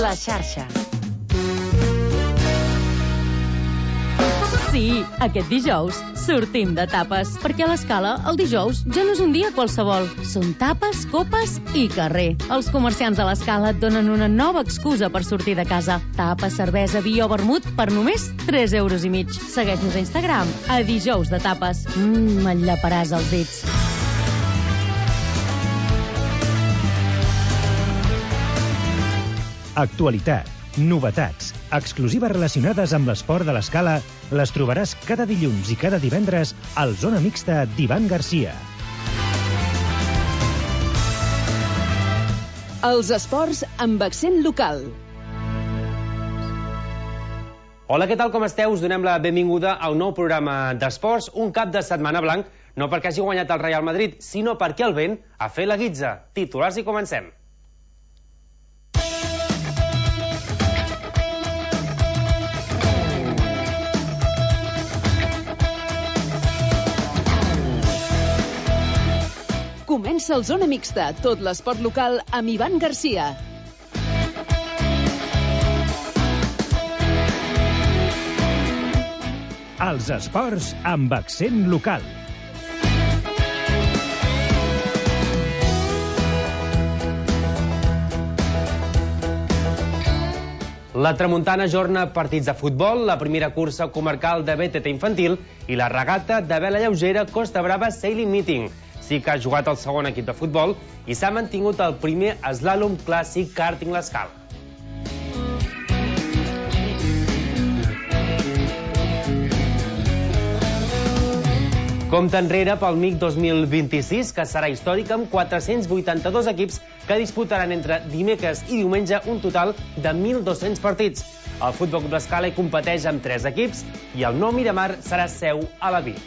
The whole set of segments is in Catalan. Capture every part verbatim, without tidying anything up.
La xarxa. Sí, aquest dijous sortim de tapes, perquè a l'Escala el dijous ja no és un dia qualsevol. Són tapes, copes i carrer. Els comerciants de l'Escala et donen una nova excusa per sortir de casa. Tapa, cervesa, vi o vermut per només tres euros i mig. Segueix-nos a Instagram, a dijous de tapes. Mmm, et llaparàs els dits. Actualitat, novetats, exclusives relacionades amb l'esport de l'Escala les trobaràs cada dilluns i cada divendres al Zona Mixta d'Ivan Garcia. Els esports amb accent local. Hola, què tal, com esteu? Us donem la benvinguda a un nou programa d'esports, un cap de setmana blanc, no perquè hagi guanyat el Real Madrid, sinó perquè el vent ha fet la guitza. Titulars i comencem. Comença el Zona Mixta, tot l'esport local amb Ivan Garcia. Els esports amb accent local. La Tramuntana ajorna partits de futbol, la primera cursa comarcal de B T T infantil i la regata de vela lleugera Costa Brava Sailing Meeting. Sí que ha jugat el segon equip de futbol i s'ha mantingut el primer eslàlom clàssic kàrting l'Escala. Compte enrere pel M I C dos mil vint-i-sis, que serà històric amb quatre-cents vuitanta-dos equips que disputaran entre dimecres i diumenge un total de mil dos-cents partits. El Futbol Club l'Escala hi competeix amb tres equips i el Nou Miramar serà seu a la Vic.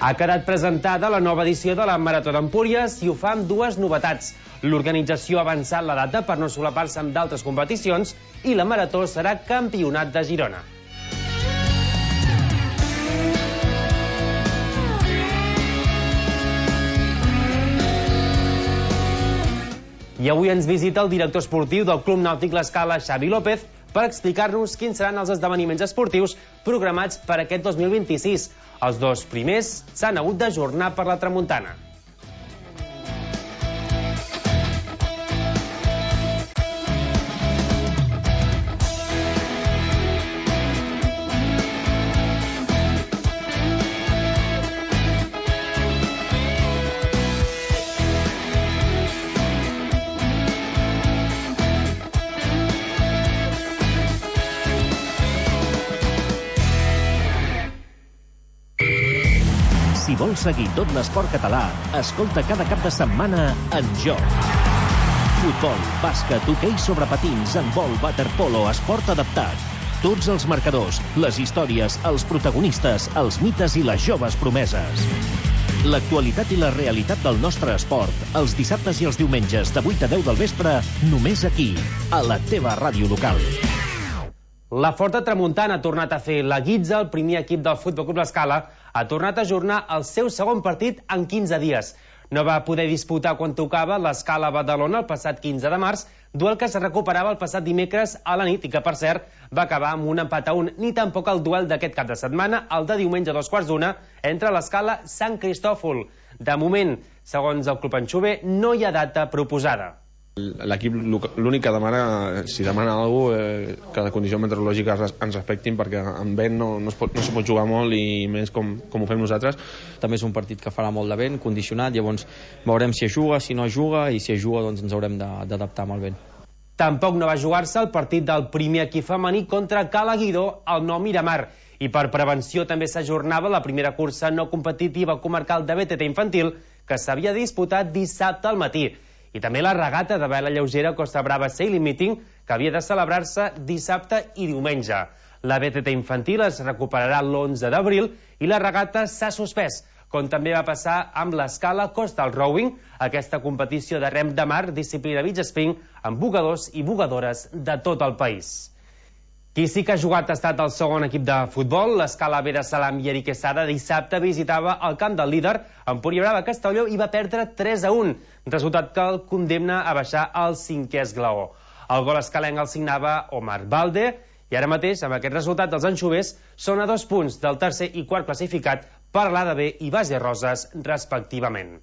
Ha quedat presentada la nova edició de la Marató d'Empúries i ho fa amb dues novetats. L'organització ha avançat la data per no solapar-se amb d'altres competicions i la Marató serà Campionat de Girona. I avui ens visita el director esportiu del Club Nàutic l'Escala, Xavi López, per explicar-nos quins seran els esdeveniments esportius programats per aquest dos mil vint-i-sis. Els dos primers s'han hagut d'ajornar per la tramuntana. Si vols seguir tot l'esport català, escolta cada cap de setmana En Joc. Futbol, bàsquet, hoquei sobre patins, handbol, waterpolo, esport adaptat. Tots els marcadors, les històries, els protagonistes, els mites i les joves promeses. L'actualitat i la realitat del nostre esport, els dissabtes i els diumenges de vuit a deu del vespre, només aquí, a la teva ràdio local. La Forta Tramuntana ha tornat a fer la guitza. El primer equip del Futbol Club l'Escala ha tornat a ajornar el seu segon partit en quinze dies. No va poder disputar quan tocava l'Escala Badalona el passat quinze de març, duel que es recuperava el passat dimecres a la nit i que, per cert, va acabar amb un empat a un, ni tampoc el duel d'aquest cap de setmana, el de diumenge a dos quarts d'una, entre l'Escala Sant Cristòfol. De moment, segons el Club Anxover, no hi ha data proposada. L'equip l'únic que demana, si demana alguna cosa, eh, que les condicions meteorològiques ens respectin, perquè amb vent no, no, es pot, no se pot jugar molt, i més com, com ho fem nosaltres. També és un partit que farà molt de vent, condicionat, llavors veurem si es juga, si no es juga, i si es juga doncs ens haurem d'adaptar amb el vent. Tampoc no va jugar-se el partit del primer equip femení contra Calaguidó al Nou Miramar, i per prevenció també s'ajornava la primera cursa no competitiva comarcal de B T T infantil, que s'havia disputat dissabte al matí. I també la regata de vela lleugera Costa Brava Sailing Meeting, que havia de celebrar-se dissabte i diumenge. La B T T infantil es recuperarà l'onze d'abril i la regata s'ha suspès, com també va passar amb l'Escala Coastal Rowing, aquesta competició de rem de mar, disciplina beach spring, amb bugadors i bugadores de tot el país. Qui sí que ha jugat ha estat el segon equip de futbol. L'Escala Vera Salam i Eric Quesada dissabte visitava el camp del líder, Empúria Brava Castelló, i va perdre tres a un, resultat que el condemna a baixar al cinquè esglaó. El gol escalenc el signava Omar Balde, i ara mateix, amb aquest resultat, els anxovers són a dos punts del tercer i quart classificat per l'A D B i Base Roses, respectivament.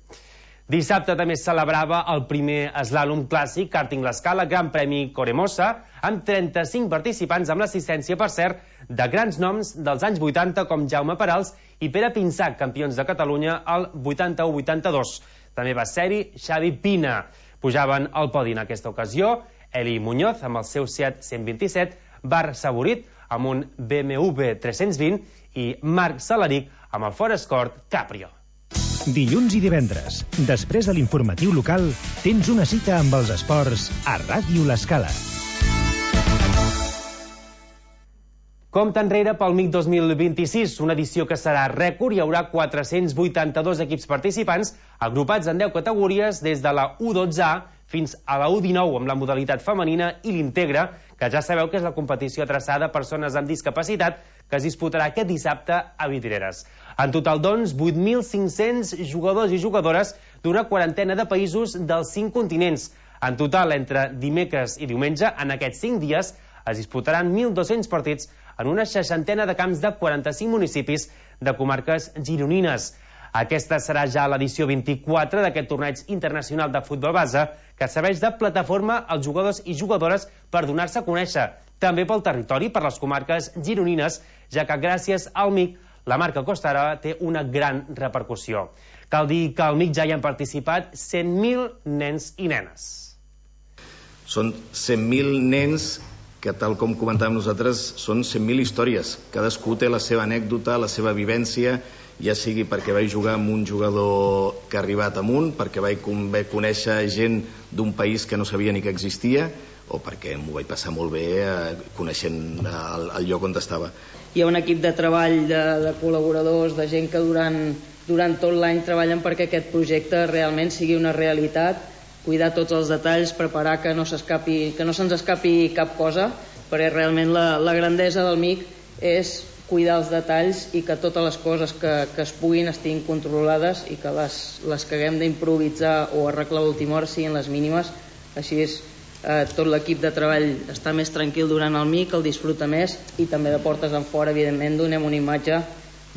Dissabte també es celebrava el primer eslàlom clàssic Karting l'Escala Gran Premi Coremosa, amb trenta-cinc participants, amb l'assistència, per cert, de grans noms dels anys vuitanta com Jaume Perals i Pere Pinsac, campions de Catalunya al vuitanta-u vuitanta-dos. També va ser-hi Xavi Pina. Pujaven al podi en aquesta ocasió Eli Muñoz amb el seu Seat cent vint-i-set, Bar Saborit amb un B M W tres-cents vint i Marc Salaric amb el Ford Escort Caprio. Dilluns i divendres, després de l'informatiu local, tens una cita amb els esports a Ràdio L'Escala. Compte enrere pel M I C dos mil vint-i-sis, una edició que serà rècord. Hi haurà quatre-cents vuitanta-dos equips participants, agrupats en deu categories, des de la U dotze A fins a la U dinou, amb la modalitat femenina i l'Integra, que ja sabeu que és la competició adreçada a persones amb discapacitat, que es disputarà aquest dissabte a Vidreres. En total, doncs, vuit mil cinc-cents jugadors i jugadores d'una quarantena de països dels cinc continents. En total, entre dimecres i diumenge, en aquests cinc dies, es disputaran mil dos-cents partits en una seixantena de camps de quaranta-cinc municipis de comarques gironines. Aquesta serà ja l'edició vint-i-quatre d'aquest torneig internacional de futbol base, que serveix de plataforma als jugadors i jugadores per donar-se a conèixer, també pel territori, per les comarques gironines, ja que gràcies al M I C la marca Costara té una gran repercussió. Cal dir que al M I C ja hi han participat cent mil nens i nenes. Són cent mil nens que, tal com comentàvem nosaltres, són cent mil històries. Cadascú té la seva anècdota, la seva vivència, ja sigui perquè vaig jugar amb un jugador que ha arribat amunt, perquè vaig conèixer gent d'un país que no sabia ni que existia, o perquè m'ho vaig passar molt bé coneixent el, el lloc on estava. Hi ha un equip de treball de, de col·laboradors, de gent que durant, durant tot l'any treballen perquè aquest projecte realment sigui una realitat, cuidar tots els detalls, preparar que no s'escapi, que no se'ns escapi cap cosa, perquè realment la, la grandesa del M I C és cuidar els detalls i que totes les coses que, que es puguin estiguin controlades i que les, les que haguem d'improvisar o arreglar a última hora siguin les mínimes. Així és, eh, tot l'equip de treball està més tranquil durant el M I C, el disfruta més, i també de portes en fora, evidentment, donem una imatge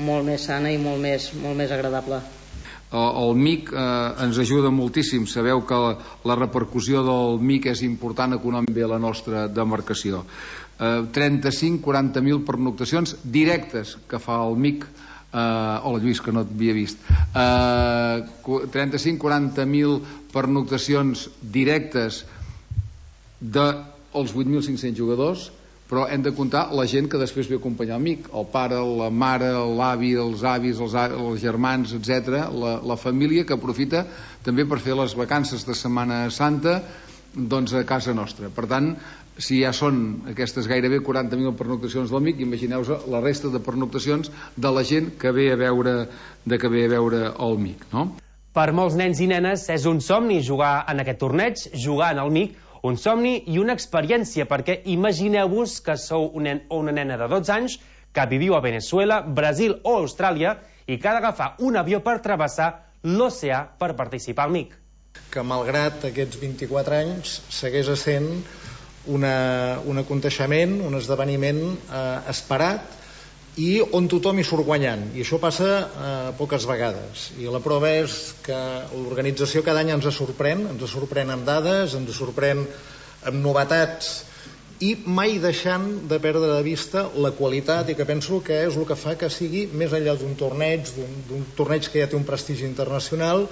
molt més sana i molt més, molt més agradable. El M I C eh, ens ajuda moltíssim. Sabeu que la, la repercussió del M I C és important econòmicament a la nostra demarcació. Eh, trenta-cinc a quaranta mil pernoctacions directes que fa el M I C. Eh, hola Lluís, que no t'havia vist. Eh, trenta-cinc a quaranta mil pernoctacions directes dels vuit mil cinc-cents jugadors, però hem de comptar la gent que després ve a acompanyar el M I C, el pare, la mare, l'avi, els avis, els, els germans, etcètera, la, la família que aprofita també per fer les vacances de Setmana Santa doncs a casa nostra. Per tant, si ja són aquestes gairebé quaranta mil pernoctacions del M I C, imagineu-vos la resta de pernoctacions de la gent que ve a veure, de que ve a veure el M I C, no? Per molts nens i nenes és un somni jugar en aquest torneig, jugar en el M I C, un somni i una experiència, perquè imagineu-vos que sou un nen o una nena de dotze anys que viviu a Venezuela, Brasil o Austràlia i que ha d'agafar un avió per travessar l'oceà per participar al M I C. Que malgrat aquests vint-i-quatre anys segueix essent una, un aconteixement, un esdeveniment eh, esperat i on tothom hi surt guanyant, i això passa eh, poques vegades, i la prova és que l'organització cada any ens sorprèn, ens sorprèn amb dades, ens sorprèn amb novetats, i mai deixant de perdre de vista la qualitat, i que penso que és el que fa que sigui, més enllà d'un torneig, d'un torneig que ja té un prestigi internacional,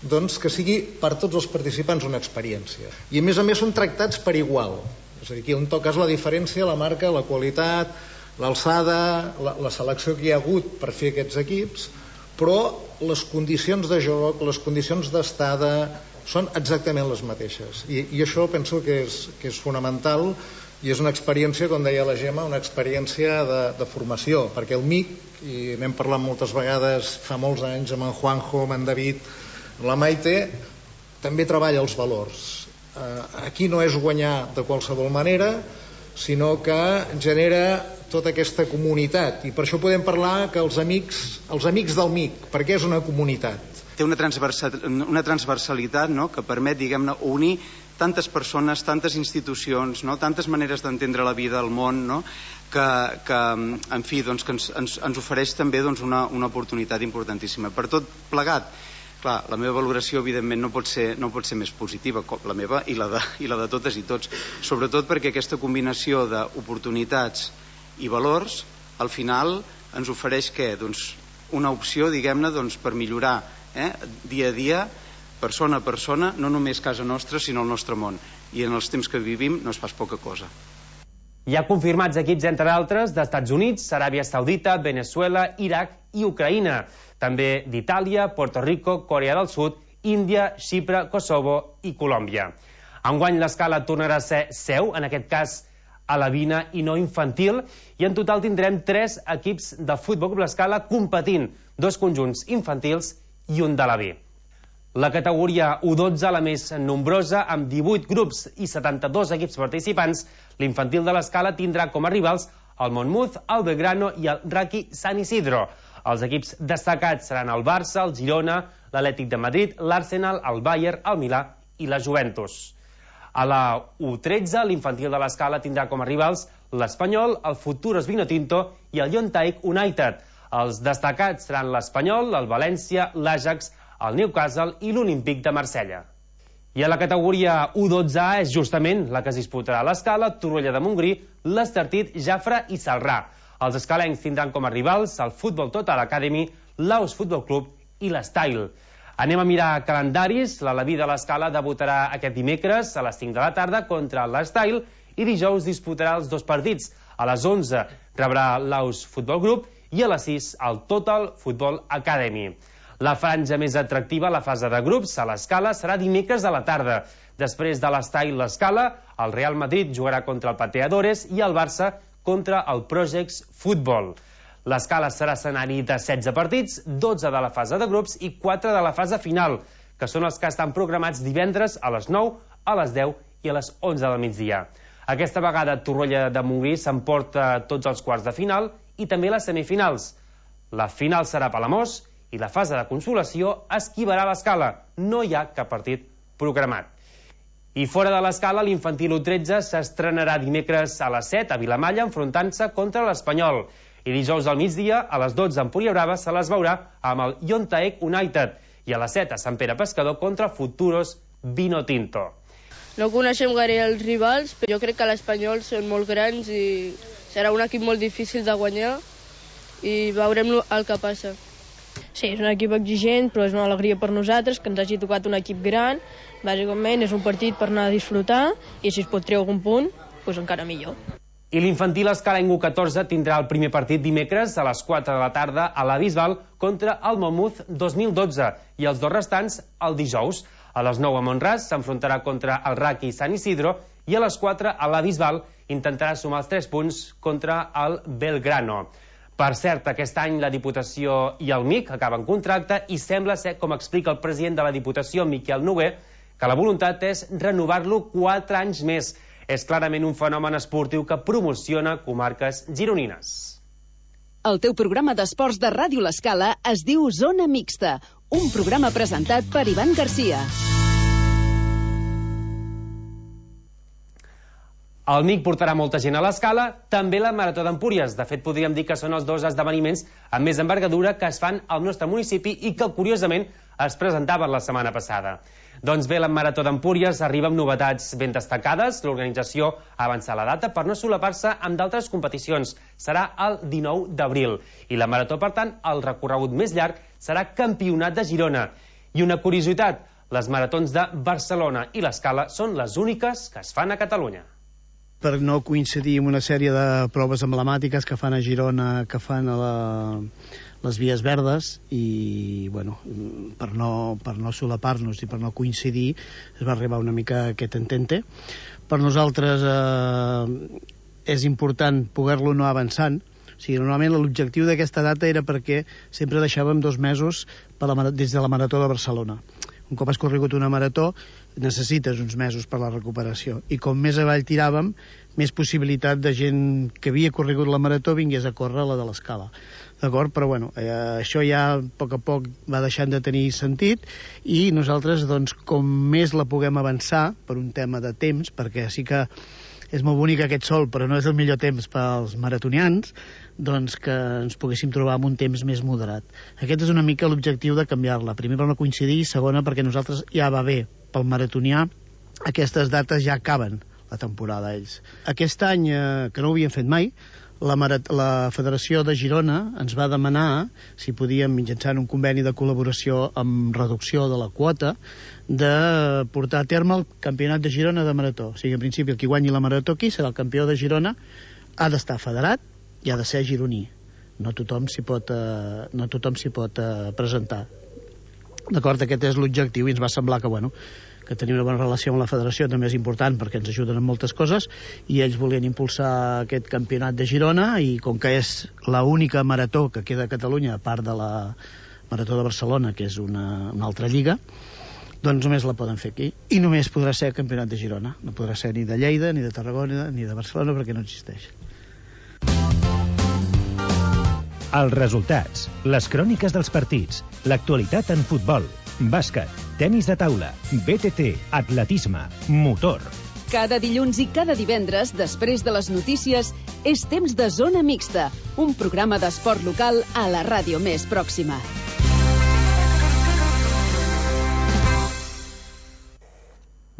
doncs que sigui per tots els participants una experiència. I a més a més són tractats per igual, és a dir, aquí on toques la diferència, la marca, la qualitat, l'alçada, la, la selecció que hi ha hagut per fer aquests equips, però les condicions de joc, les condicions d'estada són exactament les mateixes, i, i això penso que és, que és fonamental, i és una experiència, com deia la Gemma, una experiència de, de formació, perquè el M I C, i n'hem parlat moltes vegades fa molts anys amb en Juanjo, amb en David, la Maite, també treballa els valors. Eh, aquí no és guanyar de qualsevol manera, sinó que genera tota aquesta comunitat, i per això podem parlar que els amics, els amics del M I C, perquè és una comunitat. Té una, transversal, una transversalitat, no?, que permet, diguem-ne, unir tantes persones, tantes institucions, no?, tantes maneres d'entendre la vida, el món, no?, que, que en fi, doncs, que ens, ens, ens ofereix també, doncs, una, una oportunitat importantíssima. Per tot plegat, clar, la meva valoració evidentment no pot ser, no pot ser més positiva, la meva i la, de, i la de totes i tots, sobretot perquè aquesta combinació d'oportunitats i valors al final ens ofereix què? Doncs una opció, diguem-ne, doncs, per millorar eh, dia a dia, persona a persona, no només casa nostra sinó el nostre món, i en els temps que vivim no és pas poca cosa. Hi ha confirmats equips, entre altres, d'Estats Units, Aràbia Saudita, Venezuela, Iraq i Ucraïna, també d'Itàlia, Puerto Rico, Corea del Sud, Índia, Xipre, Kosovo i Colòmbia. Enguany l'escala tornarà a ser seu, en aquest cas a la Vina i no infantil, i en total tindrem tres equips de Futbol Club L'Escala competint, dos conjunts infantils i un de la B. La categoria U dotze, la més nombrosa, amb divuit grups i setanta-dos equips participants, l'infantil de l'Escala tindrà com a rivals el Monmouth, el Belgrano i el Raki Sant Isidro. Els equips destacats seran el Barça, el Girona, l'Atlètic de Madrid, l'Arsenal, el Bayern, el Milà i la Juventus. A la U tretze, l'infantil de l'Escala tindrà com a rivals l'Espanyol, el Futuros Vinotinto i el Yontaik United. Els destacats seran l'Espanyol, el València, l'Ajax, el Newcastle i l'Olímpic de Marsella. I a la categoria U dotze A és justament la que es disputarà a l'Escala, Torroella de Montgrí, l'Estartit, Jafre i Celrà. Els escalencs tindran com a rivals el Futbol Total Academy, l'Aus Futbol Club i l'Style. Anem a mirar calendaris. L'Alaví de l'Escala debutarà aquest dimecres a les cinc de la tarda contra l'Style i dijous disputarà els dos partits. A les onze rebrà l'Aus Futbol Club i a les sis el Total Futbol Academy. La franja més atractiva a la fase de grups a l'Escala serà dimecres a la tarda. Després de l'Style l'Escala, el Real Madrid jugarà contra el Pateadores i el Barça contra el Projects Futbol. L'Escala serà escenari de setze partits, dotze de la fase de grups i quatre de la fase final, que són els que estan programats divendres a les nou, a les deu i a les onze del migdia. Aquesta vegada Torroella de Montgrí s'emporta tots els quarts de final i també les semifinals. La final serà a Palamós i la fase de consolació esquivarà l'Escala. No hi ha cap partit programat. I fora de l'Escala, l'infantil U tretze s'estrenarà dimecres a les set a Vilamalla enfrontant-se contra l'Espanyol. I dijous al migdia, a les dotze a Empúria Brava, se les veurà amb el Yontaik United i a les set a Sant Pere Pescador contra Futuros Vinotinto. No coneixem gaire els rivals, però jo crec que l'Espanyol són molt grans i serà un equip molt difícil de guanyar i veurem el que passa. Sí, és un equip exigent, però és una alegria per nosaltres que ens hagi tocat un equip gran. Bàsicament és un partit per anar a disfrutar i si es pot treure algun punt, doncs encara millor. I l'infantil escalenc U catorze tindrà el primer partit dimecres a les quatre de la tarda a la Bisbal contra el Monmouth dos mil dotze i els dos restants el dijous. A les nou a Montràs s'enfrontarà contra el Raki Sant Isidro i a les quatre a la Bisbal intentarà sumar els tres punts contra el Belgrano. Per cert, aquest any la Diputació i el M I C acaben contracte i sembla ser, com explica el president de la Diputació, Miquel Noguer, que la voluntat és renovar-lo quatre anys més. És clarament un fenomen esportiu que promociona comarques gironines. El teu programa d'esports de Ràdio L'Escala es diu Zona Mixta, un programa presentat per Ivan Garcia. El M I C portarà molta gent a l'Escala, també la Marató d'Empúries. De fet, podríem dir que són els dos esdeveniments amb més envergadura que es fan al nostre municipi i que, curiosament, es presentaven la setmana passada. Doncs bé, la Marató d'Empúries arriba amb novetats ben destacades. L'organització ha avançat la data per no solapar-se amb d'altres competicions. Serà el dinou d'abril. I la Marató, per tant, el recorregut més llarg serà Campionat de Girona. I una curiositat, les maratons de Barcelona i l'Escala són les úniques que es fan a Catalunya. Per no coincidir amb una sèrie de proves emblemàtiques que fan a Girona, que fan a la, les vies verdes, i bueno, per no, per no solapar-nos i per no coincidir es va arribar una mica a aquest entente. Per nosaltres eh, és important poder-lo anar avançant. O sigui, normalment l'objectiu d'aquesta data era perquè sempre deixàvem dos mesos per la, des de la Marató de Barcelona. Un cop has corregut una marató, necessites uns mesos per la recuperació. I com més avall tiràvem, més possibilitat de gent que havia corregut la marató vingués a córrer la de l'escala. D'acord? Però bueno, eh, això ja a poc a poc va deixant de tenir sentit i nosaltres, doncs, com més la puguem avançar per un tema de temps, perquè sí que és molt bonic aquest sol, però no és el millor temps pels maratonians, doncs que ens poguéssim trobar amb un temps més moderat. Aquest és una mica l'objectiu de canviar-la. Primer per no coincidir i segona perquè nosaltres ja va bé. Pel maratonià aquestes dates ja acaben la temporada ells. Aquest any, eh, que no ho havien fet mai, la, Marat la Federació de Girona ens va demanar si podíem, mitjançant un conveni de col·laboració amb reducció de la quota, de portar a terme el Campionat de Girona de marató. O sigui, en principi, el qui guanyi la marató aquí serà el campió de Girona, ha d'estar federat i ha de ser gironí. No tothom s'hi pot, eh, no tothom s'hi pot eh, presentar. D'acord, aquest és l'objectiu i ens va semblar que, bueno, que tenir una bona relació amb la federació també és important perquè ens ajuden en moltes coses i ells volien impulsar aquest campionat de Girona i com que és l'única marató que queda a Catalunya a part de la marató de Barcelona, que és una, una altra lliga, doncs només la poden fer aquí i només podrà ser el campionat de Girona, no podrà ser ni de Lleida, ni de Tarragona, ni de Barcelona perquè no existeix. Els resultats, les cròniques dels partits, l'actualitat en futbol, bàsquet, tenis de taula, B T T, atletisme, motor. Cada dilluns i cada divendres, després de les notícies, és temps de Zona Mixta, un programa d'esport local a la ràdio més pròxima.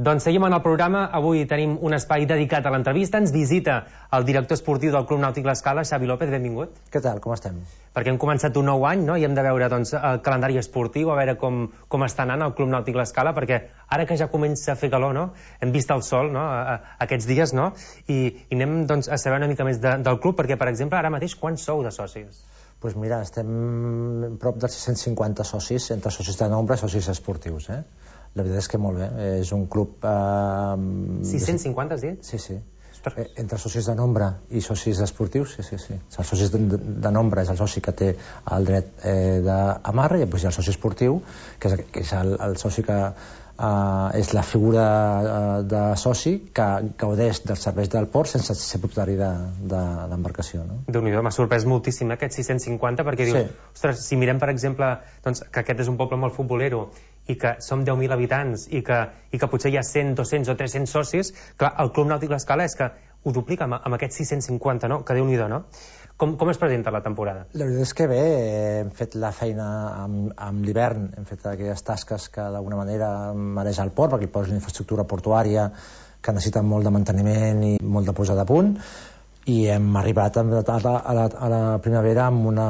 Doncs seguim en el programa. Avui tenim un espai dedicat a l'entrevista. Ens visita el director esportiu del Club Nàutic L'Escala, Xavi López. Benvingut. Què tal? Com estem? Perquè hem començat un nou any, no? I hem de veure doncs, el calendari esportiu, a veure com, com està anant el Club Nàutic L'Escala, perquè ara que ja comença a fer calor, no? Hem vist el sol, no? A, a, aquests dies, no? I, i anem doncs, a saber una mica més de, del club, perquè, per exemple, ara mateix, quants sou de socis? Doncs pues mira, estem prop de sis-cents cinquanta socis, entre socis de nombre i socis esportius, eh? La veritat és que molt bé, és un club... Eh, sis-cents cinquanta, has dit? Sí, sí. Eh, entre socis de nombre i socis esportius, sí, sí, sí. Els socis de, de nombre és el soci que té el dret eh, d'amarra i després hi ha el soci esportiu, que és, que és el, el soci que eh, és la figura eh, de soci que gaudeix dels serveis del port sense ser propietari d'embarcació. De, de, no? Déu-n'hi-do, m'ha sorprès moltíssim aquests sis-cents cinquanta, perquè dius, sí. Ostres, si mirem, per exemple, doncs, que aquest és un poble molt futbolero, i que som deu mil habitants i que, i que potser hi ha cent, dos-cents o tres-cents socis, clar, el Club Nàutic L'Escala és que ho duplica amb, amb aquests sis-cents cinquanta, no? Que Déu-n'hi-do, no? Com, com es presenta la temporada? La veritat és que bé, hem fet la feina amb, amb l'hivern, hem fet aquelles tasques que d'alguna manera mereix el port, perquè el port és una infraestructura portuària que necessita molt de manteniment i molt de posada a punt, i hem arribat a la, a la, a la primavera amb una,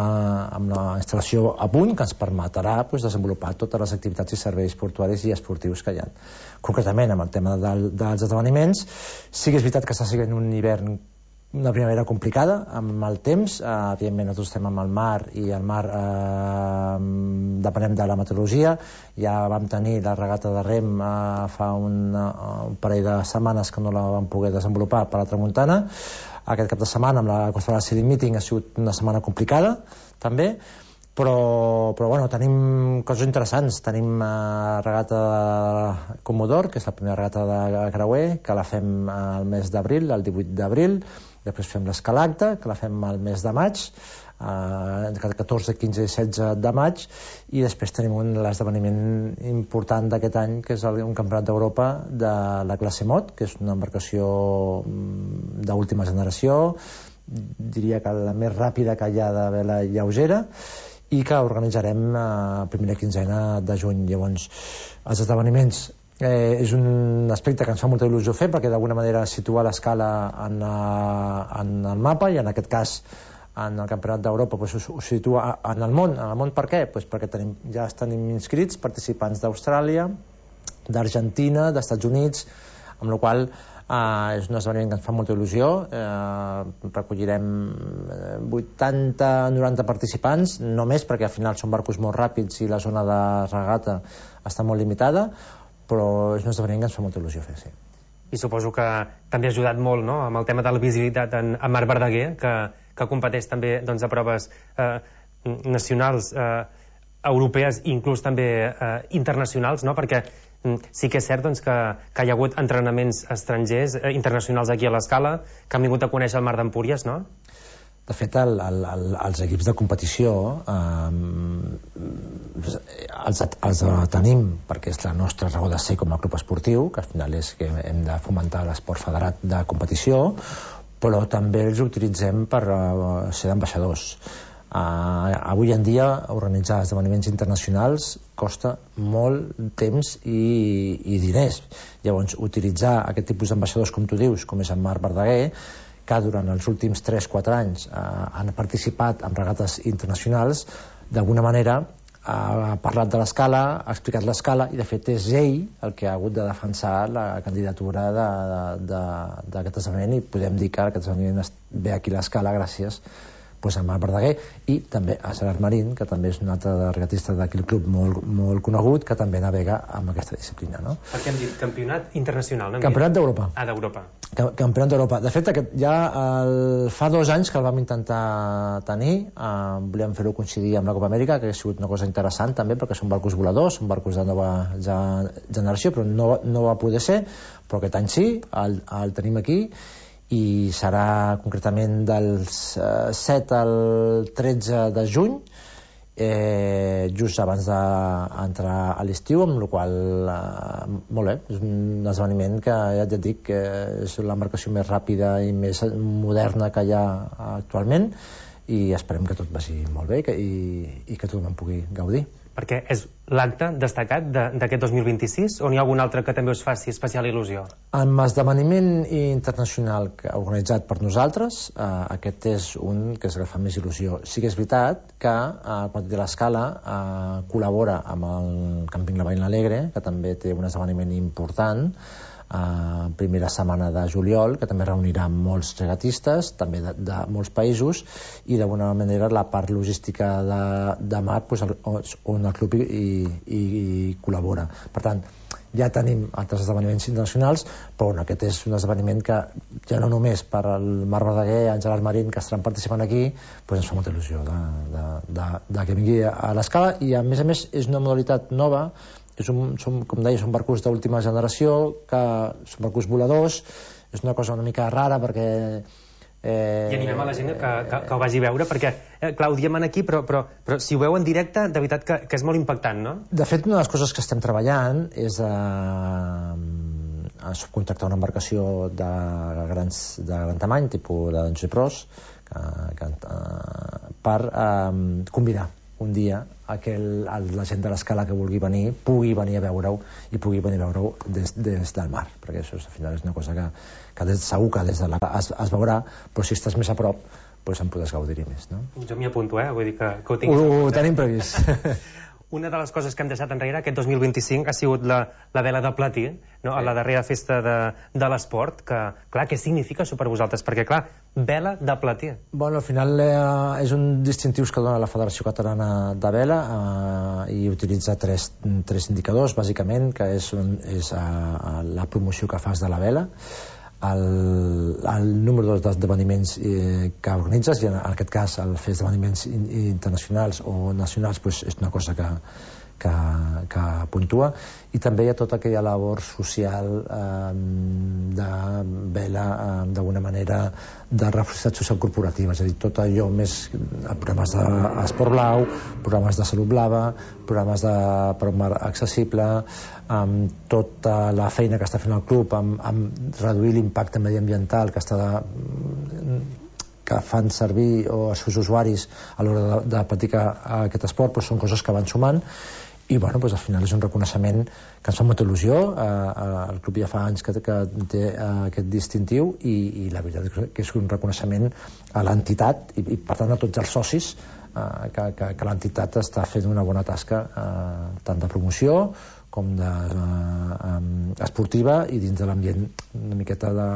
amb la instal·lació a punt que ens permetrà pues, desenvolupar totes les activitats i serveis portuaris i esportius que hi ha. Concretament, amb el tema del, dels esdeveniments, sí que és veritat que està sent un hivern, una primavera complicada amb el temps. Eh, evidentment nosaltres estem amb el mar i el mar eh, depenem de la meteorologia. Ja vam tenir la regata de rem eh, fa un, un parell de setmanes que no la vam poder desenvolupar per la tramuntana. Aquest cap de setmana amb la Costa Brava City Meeting ha sigut una setmana complicada també, però, però bueno, tenim coses interessants. Tenim eh, regata de Comodor, que és la primera regata de creuer, que la fem al mes d'abril, el divuit d'abril. Després fem l'Escalacta, que la fem al mes de maig, eh, catorze, quinze i setze de maig, i després tenim un l'esdeveniment important d'aquest any, que és el, un campionat d'Europa de la classe Mot, que és una embarcació d'última generació, diria que la més ràpida que hi ha de vela lleugera, i que organitzarem a primera quinzena de juny. Llavors, els esdeveniments Eh, és un aspecte que ens fa molta il·lusió fer, perquè d'alguna manera situa l'Escala en, en el mapa, i en aquest cas en el Campionat d'Europa pues, ho, ho situa en el món. En el món per què? Pues perquè tenim, ja tenim inscrits participants d'Austràlia, d'Argentina, d'Estats Units, amb la qual eh, és un esdeveniment que ens fa molta il·lusió. Eh, recollirem vuitanta noranta participants, no més, perquè al final són barcos molt ràpids i la zona de regata està molt limitada, però és un esdeveniment que ens fa molta il·lusió fer, sí. I suposo que també ha ajudat molt, no?, amb el tema de la visibilitat en, en Marc Verdaguer, que, que competeix també doncs, a proves eh, nacionals eh, europees i inclús també eh, internacionals, no? Perquè sí que és cert doncs, que, que hi ha hagut entrenaments estrangers, eh, internacionals aquí a l'Escala, que han vingut a conèixer el Mar d'Empúries, no? De fet, el, el, el, els equips de competició eh, els, els tenim perquè és la nostra raó de ser com a club esportiu, que al final és que hem de fomentar l'esport federat de competició, però també els utilitzem per uh, ser d'ambaixadors. Uh, avui en dia organitzar esdeveniments internacionals costa molt temps i, i diners. Llavors, utilitzar aquest tipus d'ambaixadors, com tu dius, com és en Marc Verdaguer, que durant els últims tres quatre anys eh, han participat en regates internacionals, d'alguna manera ha parlat de l'Escala, ha explicat l'Escala, i de fet és ell el que ha hagut de defensar la candidatura d'aquest esdeveniment, i podem dir que aquest esdeveniment ve aquí a l'Escala gràcies pues, a Marc Verdaguer i també a Gerard Marín, que també és un altre regatista d'aquell club molt, molt conegut, que també navega amb aquesta disciplina, no? Perquè hem dit campionat internacional, no? Campionat d'Europa. Ah, d'Europa. Campionat d'Europa. De fet, aquest, ja el, fa dos anys que el vam intentar tenir, eh, volíem fer-ho coincidir amb la Copa Amèrica, que ha sigut una cosa interessant també, perquè són barcos voladors, són barcos de nova ja, generació, però no, no va poder ser, però aquest any sí, el, el tenim aquí, i serà concretament dels eh, set al tretze de juny, eh, just abans d'entrar a l'estiu, amb la qual cosa eh, molt bé, és un esdeveniment que ja et dic que és l'embarcació més ràpida i més moderna que hi ha actualment, i esperem que tot vagi molt bé i que, i, i que tothom en pugui gaudir. Perquè és l'acte destacat d'aquest dos mil vint-i-sis, o n'hi ha algun altre que també us faci especial il·lusió? Amb l'esdeveniment internacional organitzat per nosaltres, eh, aquest és un que és el que fa més il·lusió. Sí que és veritat que eh, quan té l'Escala eh, col·labora amb el Camping La Veïna Alegre, que també té un esdeveniment important, Uh, primera setmana de juliol, que també reunirà molts regatistes també de, de molts països, i d'alguna manera la part logística de, de mar pues, on el club hi, hi, hi col·labora. Per tant, ja tenim altres esdeveniments internacionals, però bueno, aquest és un esdeveniment que ja no només per el Marc Verdaguer, en Gerard Marín, que estaran participant aquí, pues ens fa molta il·lusió de, de, de, de que vingui a l'Escala, i a més a més és una modalitat nova. Som, som, com deia, són barcos d'última generació, que són barcos voladors, és una cosa una mica rara perquè... Eh... I animem a la gent que, que, que ho vagi a veure, perquè, eh, clar, ho diem aquí, però, però, però si ho veu en directe, de veritat que, que és molt impactant, no? De fet, una de les coses que estem treballant és a, a subcontractar una embarcació de, grans, de gran tamany, tipus de Danjou Pros, que, que, per eh, convidar un dia a que el, la gent de l'Escala que vulgui venir pugui venir a veure-ho i pugui venir a veure-ho des, des del mar, perquè això al final és una cosa que, que des, segur que des de la, es, es veurà, però si estàs més a prop doncs en podràs gaudir-hi més, no? Jo m'hi apunto, eh? Vull dir que, que ho tinc... Ho, ho tenim previst. Una de les coses que hem deixat enrere aquest dos mil vint-i-cinc ha sigut la, la vela de platí, no? A la darrera festa de, de l'esport, que, clar, què significa això per vosaltres? Perquè, clar, vela de platí. Bueno, al final eh, és un distintiu que dona la Federació Catalana de Vela eh, i utilitza tres, tres indicadors, bàsicament, que és, és eh, la promoció que fas de la vela, el, el número d'esdeveniments eh, que organitzes, i en aquest cas el fer esdeveniments internacionals o nacionals pues, és una cosa que, que, que puntua, i també hi ha tota aquella labor social eh, de vela, eh, d'alguna manera de responsabilitat social corporativa, és a dir, tot allò més programes d'esport blau, programes de salut blava, programes de per un mar accessible, amb tota la feina que està fent el club amb, amb reduir l'impacte mediambiental que està de, que fan servir o els seus usuaris a l'hora de, de practicar aquest esport, doncs són coses que van sumant, i bueno, doncs al final és un reconeixement que ens fa molta il·lusió. Eh, el club ja fa anys que, que té eh, aquest distintiu, i, i la veritat és que és un reconeixement a l'entitat i, i per tant a tots els socis, eh, que, que, que l'entitat està fent una bona tasca eh, tant de promoció com de, eh, esportiva, i dins de l'ambient una miqueta de,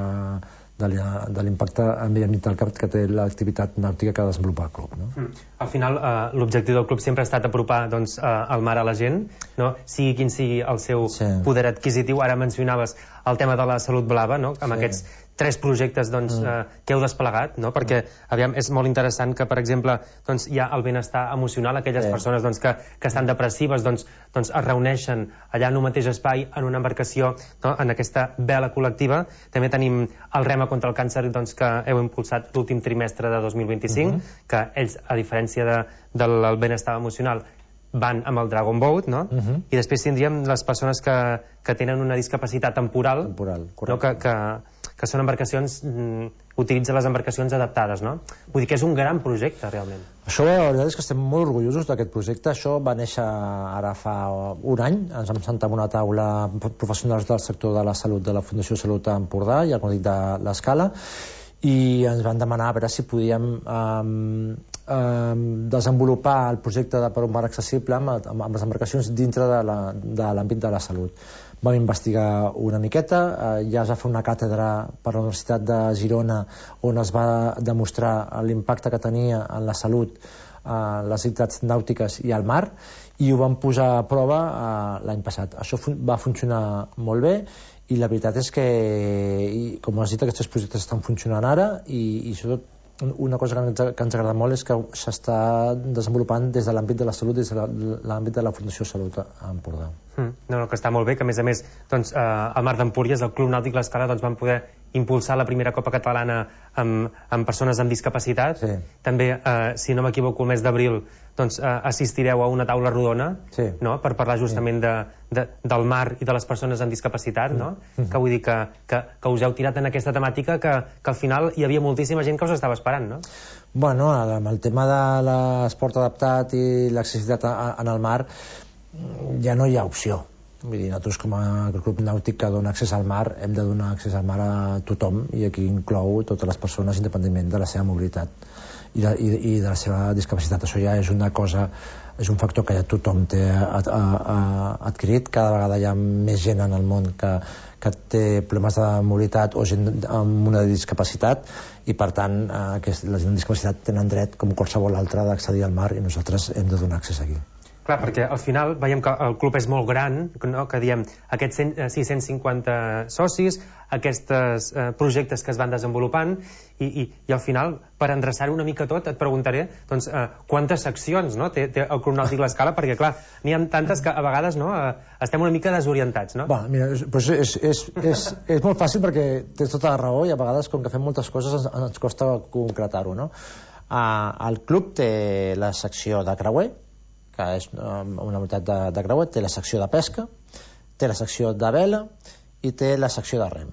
de l'impacte ambiental que té l'activitat nàutica que desenvolupa el club, no? Mm. Al final, eh, l'objectiu del club sempre ha estat apropar doncs, eh, el mar a la gent, no? Sigui quin sigui el seu sí. poder adquisitiu. Ara mencionaves el tema de la salut blava, no? Amb sí. aquests tres projectes doncs, mm. eh, que heu desplegat, no? Perquè aviam, és molt interessant que, per exemple, doncs, hi ha el benestar emocional, aquelles sí. persones doncs, que, que estan depressives doncs, doncs, es reuneixen allà en un mateix espai, en una embarcació, no? En aquesta vela col·lectiva. També tenim el Rema contra el càncer doncs, que heu impulsat l'últim trimestre de dos mil vint-i-cinc, mm-hmm. que ells, a diferència de, del benestar emocional, van amb el Dragon Boat, no? Uh-huh. I després tindríem les persones que, que tenen una discapacitat temporal, temporal no? que, que, que són embarcacions, mm, utilitzen les embarcacions adaptades, no? Vull dir que és un gran projecte, realment. Això, la veritat és que estem molt orgullosos d'aquest projecte. Això va néixer ara fa un any. Ens vam sentar en una taula professionals del sector de la salut de la Fundació Salut a Empordà i al Còdic de l'Escala, i ens van demanar a veure si podíem um, um, desenvolupar el projecte de per un mar accessible amb, amb, amb les embarcacions dintre de l'àmbit de, de la salut. Vam investigar una miqueta, eh, ja es va fer una càtedra per la Universitat de Girona on es va demostrar l'impacte que tenia en la salut eh, les activitats nàutiques i al mar, i ho vam posar a prova eh, l'any passat. Això fun va funcionar molt bé, i la veritat és que, i, com has dit, aquests projectes estan funcionant ara, i, i sobretot una cosa que ens, que ens agrada molt és que s'està desenvolupant des de l'àmbit de la salut, des de l'àmbit de la Fundació Salut a Empordà. Mm, no, no, que està molt bé, que a més a més doncs, eh, al Mar d'Empúries, el Club Nàutic L'Escala, doncs, van poder impulsar la primera Copa Catalana amb, amb persones amb discapacitat. Sí. També, eh, si no m'equivoco, el mes d'abril doncs, eh, assistireu a una taula rodona, sí. no? Per parlar justament sí. de, de, del mar i de les persones amb discapacitat, mm. no? Mm. Que vull dir que, que, que us heu tirat en aquesta temàtica que, que al final hi havia moltíssima gent que us estava esperant, no? Bueno, amb el tema de l'esport adaptat i l'accessibilitat en el mar ja no hi ha opció. Vull dir, nosaltres com a club nàutic que dona accés al mar hem de donar accés al mar a tothom, i aquí inclou totes les persones independentment de la seva mobilitat i de, i, i de la seva discapacitat. Això ja és una cosa, és un factor que ja tothom té a, a, a, adquirit. Cada vegada hi ha més gent en el món que, que té problemes de mobilitat o gent amb una discapacitat, i per tant eh, que la gent amb discapacitat tenen dret com qualsevol altre d'accedir al mar, i nosaltres hem de donar accés aquí. Clar, perquè al final veiem que el club és molt gran, no? Que diem aquests sis-cents cinquanta socis, aquests eh, projectes que es van desenvolupant, i, i, i al final, per endreçar-ho una mica tot, et preguntaré doncs, eh, quantes seccions, no? té, té el Club Nàutic L'Escala, perquè clar, n'hi ha tantes que a vegades no, eh, estem una mica desorientats, no? Va, mira, doncs és, és, és, és molt fàcil perquè tens tota la raó, i a vegades com que fem moltes coses ens, ens costa concretar-ho, no? Uh, el club té la secció de creuer, que és una unitat de, de creuer, té la secció de pesca, té la secció de vela i té la secció de rem.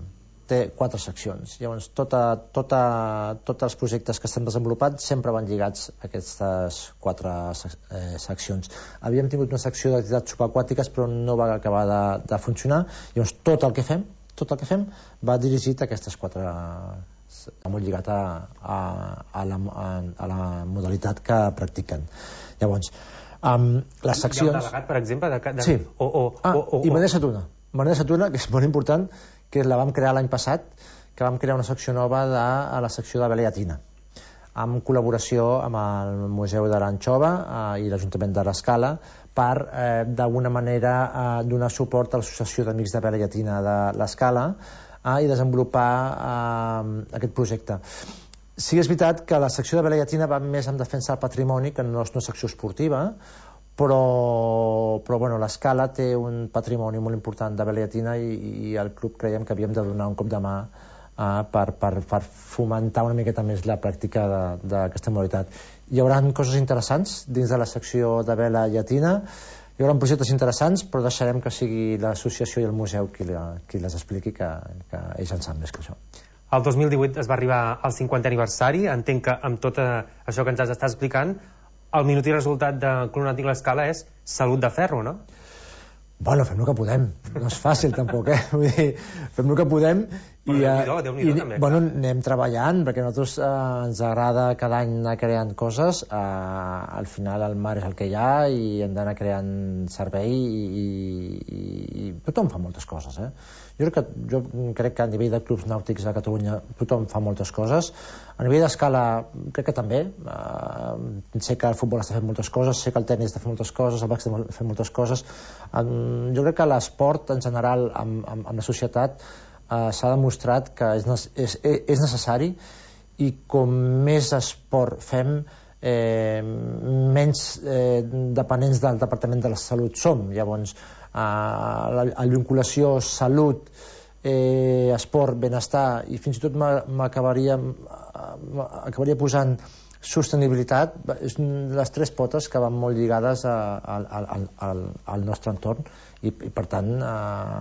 Té quatre seccions. Llavors, tota, tota, tots els projectes que estem desenvolupant sempre van lligats a aquestes quatre eh, seccions. Havíem tingut una secció d'activitats subaquàtiques, però no va acabar de, de funcionar. Llavors, tot el que fem, tot el que fem va dirigit a aquestes quatre, molt lligat a, a, a, la, a, a la modalitat que practiquen. Llavors, Um, les seccions... Hi ha un delegat, per exemple? De, de... Sí. O, o, ah, o, o, i Manesa Tuna. Manesa Tuna, que és molt important, que la vam crear l'any passat, que vam crear una secció nova de, a la secció de vela llatina, amb col·laboració amb el Museu de l'Anxova eh, i l'Ajuntament de l'Escala, per, eh, d'alguna manera, eh, donar suport a l'Associació d'Amics de Vela Llatina de l'Escala eh, i desenvolupar eh, aquest projecte. Sí que és veritat que la secció de vela llatina va més en defensa del patrimoni, que no és una secció esportiva, però, però bueno, l'Escala té un patrimoni molt important de vela llatina, i, i al club creiem que havíem de donar un cop de mà uh, per, per, per fomentar una miqueta més la pràctica d'aquesta modalitat. Hi haurà coses interessants dins de la secció de vela llatina, hi haurà projectes interessants, però deixarem que sigui l'associació i el museu qui, la, qui les expliqui, que, que ells en saben més que això. El dos mil divuit es va arribar al cinquantè aniversari. Entenc que amb tot això que ens has estat explicant, el minut i resultat de Club Nàutic L'Escala és salut de ferro, no? Bueno, fem el que podem. No és fàcil, tampoc, eh? Vull dir, fem el que podem i, Déu-n'hi-do, Déu-n'hi-do, també. Bueno, anem treballant, perquè a nosaltres eh, ens agrada cada any anar creant coses. Eh, al final el mar és el que hi ha i hem d'anar creant servei, i, i, i tothom fa moltes coses, eh? Jo crec, que, jo crec que a nivell de clubs nàutics a Catalunya tothom fa moltes coses. A nivell d'escala crec que també. Uh, sé que el futbol està fent moltes coses, sé que el tenis està fent moltes coses, el bàsquet està fent moltes coses. Um, jo crec que l'esport en general amb, amb, amb la societat eh, s'ha demostrat que és, és, és necessari, i com més esport fem, eh, menys eh, dependents del Departament de la Salut som. Llavors, eh, la, la vinculació salut, eh, esport, benestar, i fins i tot m'acabaria acabaria posant sostenibilitat, les tres potes que van molt lligades a, a, a, a, al nostre entorn, i, i per tant eh,